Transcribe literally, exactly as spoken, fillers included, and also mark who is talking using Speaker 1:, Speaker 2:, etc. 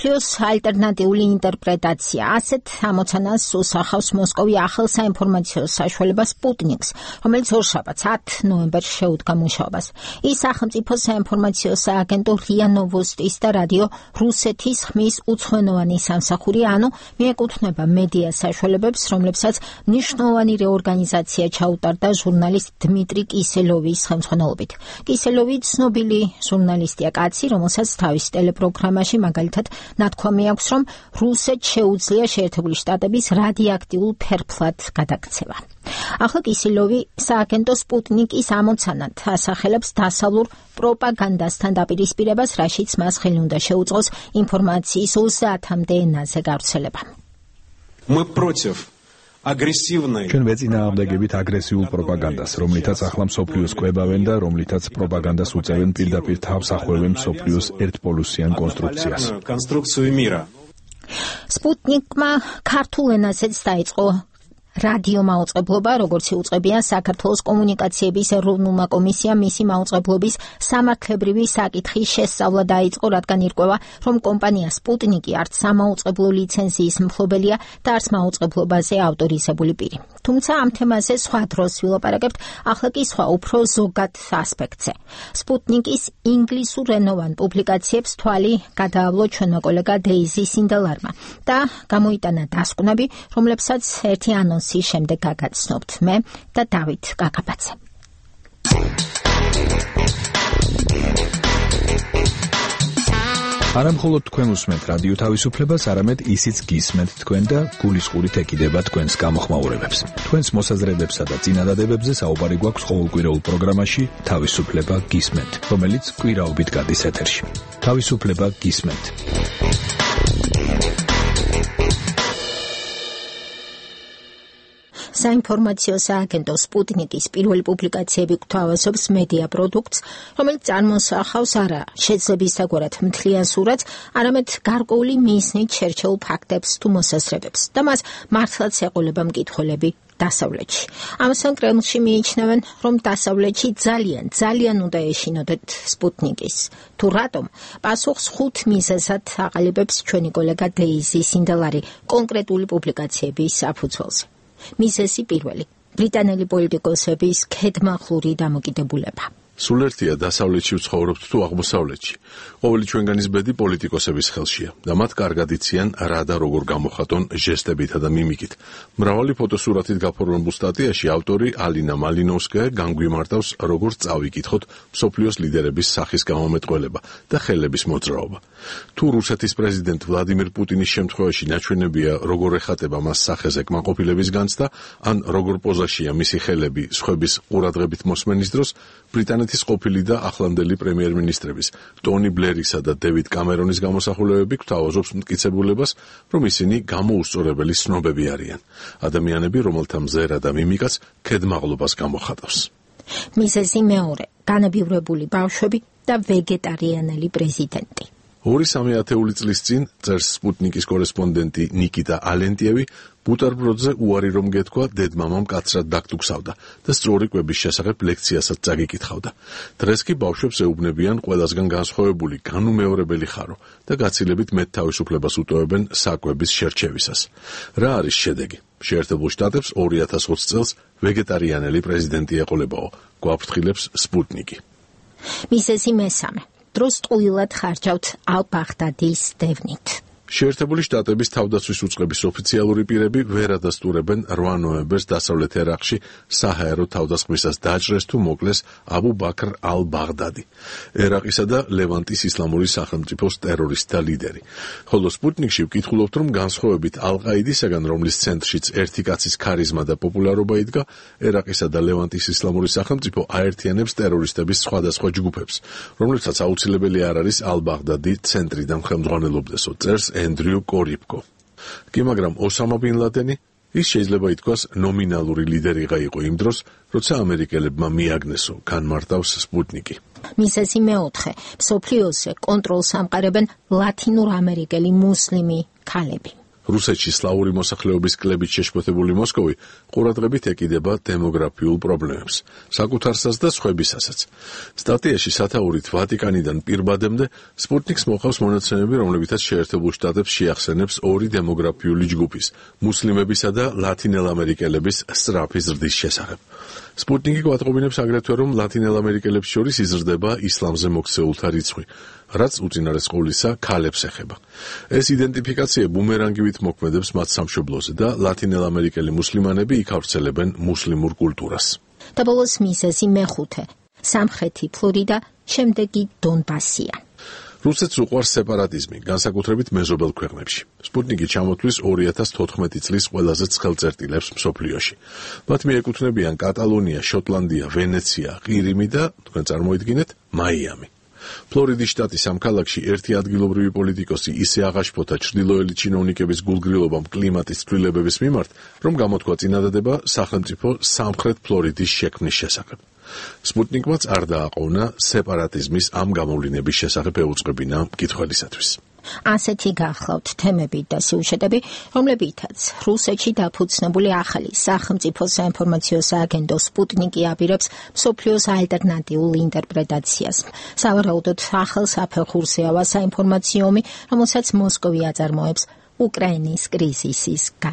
Speaker 1: მსოფლიოს ალტერნატიული ინტერპრეტაცია. ასეთ ამოცანას უსახავს მოსკოვი ახალ საინფორმაციო საშუალება სპუტნიკს, რომელიც ორშაბათს ათი ნოემბერს შეუდგა მუშაობას. ის სახელმწიფო საინფორმაციო სააგენტო რია ნოვოსტის და რადიო რუსეთის ხმის უცხოენოვანი სამსახური, ანუ მიეკუთვნება მედია საშუალებებს, რომლებსაც მნიშვნელოვანი რეორგანიზაცია ჩაუტარდა ჟურნალისტ დმიტრი კისელოვის ხელმძღვანელობით. კისელოვი ცნობილი ჟურნალისტია კაცი, რომელსაც თავის ტელეპროგრამაში მაგალითად ნათქვამი აქვს, რომ რუსეთს შეუძლია შეერთებული შტატების რადიოაქტიულ ფერფლად გადაქცევა. ახლა კისელოვი სააგენტო სპუტნიკის ამოცანად ასახელებს დასავლურ პროპაგანდასთან დაპირისპირებას, რაშიც მას ხელი უნდა შეუწყოს ინფორმაციის ოცდაათამდე ენაზე გავრცელება.
Speaker 2: Мы против აგრესივნაი.
Speaker 3: ჩვენ ვეწინააღმდეგებით აგრესიულ პროპაგანდას, რომლითაც ახლა მსოფლიოს კვებავენ და რომლითაც პროპაგანდას უწევენ პირდაპირ თავს ახვევენ მსოფლიოს ერთპოლუსიან კონსტრუქციას.
Speaker 1: სპუტნიკმა ქართულ ენაზეც დაიწყო რადიო მაუწყებლობა, როგორც იუწყებია საქართველოს კომუნიკაციების ეროვნულმა კომისიამ მისი მაუწყებლობის სამართლებრივი საკითხის შესწავლა დაიწყო, რადგან ირკვევა, რომ კომპანია სპუტნიკი არც სამაუწყებლო ლიცენზიის მფლობელია და არც მაუწყებლობაზე ავტორიზებული პირი. თუმცა ამ თემაზე სხვა დროს ვილაპარაკებთ, ახლა კი სხვა უფრო ზოგად ასპექტზე. სპუტნიკის ინგლისურენოვან პუბლიკაციებს თვალი გადაავლო ჩვენმა კოლეგა დეიზი სინდელარმა და გამოიტანა დასკვნები, რომლებსაც ერთი ანონსი შემდეგ გაგაცნობთ მე და დავით კაკაბაძე.
Speaker 3: არა მხოლოდ თქვენ უსმენთ რადიო თავისუფლებას, არამედ ისიც გისმენთ თქვენ და გულისყურით ეკიდება თქვენს გამოხმაურებებს. თქვენს მოსაზრებებსა და წინადადებებზე საუბარი გვაქვს ყოველკვირეულ პროგრამაში თავისუფლება გისმენთ, რომელიც კვირაობით გადის ეთერში. თავისუფლება გისმენთ.
Speaker 1: საინფორმაციო სააგენტო სპუტნიკის პირველი პუბლიკაციები გვთავაზობს მედია პროდუქტს, რომელიც წარმოსახავს არა შეძლებისდაგვარად მთლიან სურათს, არამედ გარკვეული მიზნით შერჩეულ ფაქტებს თუ მოსაზრებებს და მას მართლაც ეყოლება მკითხველები დასავლეთში. ამასთან კრემლში მიიჩნევენ, რომ დასავლეთში ძალიან, ძალიან უნდა ეშინოდეთ სპუტნიკის. თუ რატომ? პასუხს ხუთ მიზეზად აყალიბებს ჩვენი კოლეგა დეიზი სინდელარი კონკრეტული პუბლიკაციების საფუძველზე. მიზეზი პირველი. ბრიტანელი პოლიტიკოსების ქედმაღლური დამოკიდებულება.
Speaker 4: სულ ერთია დასავლეთში ვცხოვრობთ თუ აღმოსავლეთში. ყოველი ჩვენგანის ბედი პოლიტიკოსების ხელშია და მათ კარგად იციან რა და როგორ გამოხატონ ჟესტებითა და მიმიკით. მრავალი ფოტოსურათით გაფორმებულ სტატიაში ავტორი ალინა მალინოვსკაია განგვიმარტავს, როგორ წავიკითხოთ მსოფლიოს ლიდერების სახის გამომეტყველება და ხელების მოძრაობა. თუ რუსეთის პრეზიდენტ ვლადიმირ პუტინის შემთხვევაში ნაჩვენებია, როგორ ეხატება მას სახეზე კმაყოფილების განცდა, ან როგორ პოზაშია მისი ხელები სხვების ყურადღებით მოსმენის დროს, ბრიტანეთის ყოფილი და ახლანდელი პრემიერ-მინისტრების ტონი ბლერისა და დევიდ კამერონის გამოსახულებები გვთავაზობს მტკიცებულებას, რომ ისინი გამოუსწორებელი ცნობები არიან. ადამიანები, რომელთა მზერა და მიმიკაც ქედმაღლობას გამოხატავს.
Speaker 1: მიზეზი მეორე. განებივრებული ბავშვები და ვეგეტარიანელი პრეზიდენტი.
Speaker 4: ორი სამი ათეული წლის წინ წერს სპუტნიკის კორესპონდენტი ნიკიტა ალენტიევი, ბუტარბროდზე უარი რომ გეთქვა, დედმამამ კაცრად დაგტუქსავდა და სწორი კვების შესახებ ლექციასაც წაგიკითხავდა. დღეს კი ბავშვებს ეუბნებიან ყველასგან განსხვავებული, განუმეორებელი ხარო და გაცილებით მეტ თავისუფლებას უტოვებენ საკვების შერჩევისას. რა არის შედეგი? შეერთებულ შტატებს ორი ათას ოცი წელს ვეგეტარიანელი პრეზიდენტი ეყოლებაო, გვაფრთხილებს სპუტნიკი.
Speaker 1: მიზეზი მესამე. დროს ტყუილად ხარჯავთ ალ-ბაღდადის დევნით.
Speaker 4: შეერთებული შტატების თავდაცვის უწყების ოფიციალური პირები ვერ ადასტურებენ რვა ნოემბერს დასავლეთ ერაყში საჰაერო თავდასხმისას დაჭრეს თუ მოკლეს აბუ ბაქრ ალ-ბაღდადი, ერაყისა და ლევანტის ისლამური სახელმწიფოს ტერორისტთა ლიდერი. ხოლო სპუტნიკში ვკითხულობთ, რომ განსხვავებით ალ-ყაიდისაგან, რომლის ცენტრშიც ერთი კაცის ქარიზმა და პოპულარობა იდგა, ერაყისა და ლევანტის ისლამური სახელმწიფო აერთიანებს ტერორისტების სხვადასხვა ჯგუფებს, რომლებსაც აუცილებელი არ არის ალ-ბაღდადი ცენტრიდან ხელმძღვანელობდესო, წერს ენდრიუ კორიპკო. კი მაგრამ ოსამა ბინ ლადენი, ის შეიძლება ითქვას ნომინალური ლიდერიღა იყო იმ დროს, როცა ამერიკელებმა მიაგნესო, განმარტავს სპუტნიკი.
Speaker 1: მიზეზი მეოთხე. მსოფლიოზე კონტროლს ამყარებენ ლათინურ ამერიკელი მუსლიმი ქალები.
Speaker 4: რუსეთში სლავური მოსახლეობის კლებით შეშფოთებული მოსკოვი ყურადღებით ეკიდება დემოგრაფიულ პრობლემებს, საკუთარსაც და სხვებისასაც. სტატიაში სათაურით ვატიკანიდან პირბადემდე სპუტნიკს მოყავს მონაცემები, რომლებითაც შეერთებულ შტატებს შეახსენებს ორი დემოგრაფიული ჯგუფის, მუსლიმებისა და ლათინელამერიკელების სწრაფი ზრდის შესახებ. სპუტნიკი გვატყობინებს აგრეთვე, რომ ლათინელამერიკელებს შორის იზრდება ისლამზე მოქცეულთა რიცხვი, რაც უწინარესყოვლისა ქალებს ეხება. ეს იდენტიფიკაცია ბუმერანგივით მოქმედებს მათ სამშობლოზე და ლათინელამერიკელი მუსლიმანები იქ ავრცელებენ მუსლიმურ კულტურას.
Speaker 1: და ბოლოს მიზეზი მეხუთე, სამხრეთი ფლორიდა, შემდეგი დონბასია.
Speaker 4: რუსეთს უყვარს სეპარატიზმი, განსაკუთრებით მეზობელ ქვეყნებში. სპუტნიკი ჩამოთვლის ორი ათას თოთხმეტი წლის ყველაზე ცხელ წერტილებს მსოფლიოში. მათ მიეკუთვნებიან კატალონია, შოტლანდია, ვენეცია, ყირიმი და, თქვენ წარმოიდგინეთ, მაიამი. ფლორიდის შტატის ამ ქალაქში ერთი ადგილობრივი პოლიტიკოსი ისე აღაშფოთა ჩრდილოელი ჩინოვნიკების გულგრილობამ კლიმატის ცვლილებების მიმართ, რომ გამოთქვა წინადადება სახელმწიფო სამხრეთ ფლორიდის შექმნის შესახებ. სპუტნიკმაც არ დააყოვნა სეპარატიზმის ამ გამოვლინების შესახებ ეუწყებინა მკითხველისათვის.
Speaker 1: ასეთი გახლავთ თემები და სიუჟეტები, რომლებითაც რუსეთში დაფუძნებული ახალი სახელმწიფო საინფორმაციო სააგენტო სპუტნიკი აპირებს მსოფლიოს ალტერნატიულ ინტერპრეტაციას. სავარაუდოდ ახალ საფეხურზე ავა საინფორმაციო ომი, რომელსაც მოსკოვი აწარმოებს უკრაინის კრიზისის გარშემო.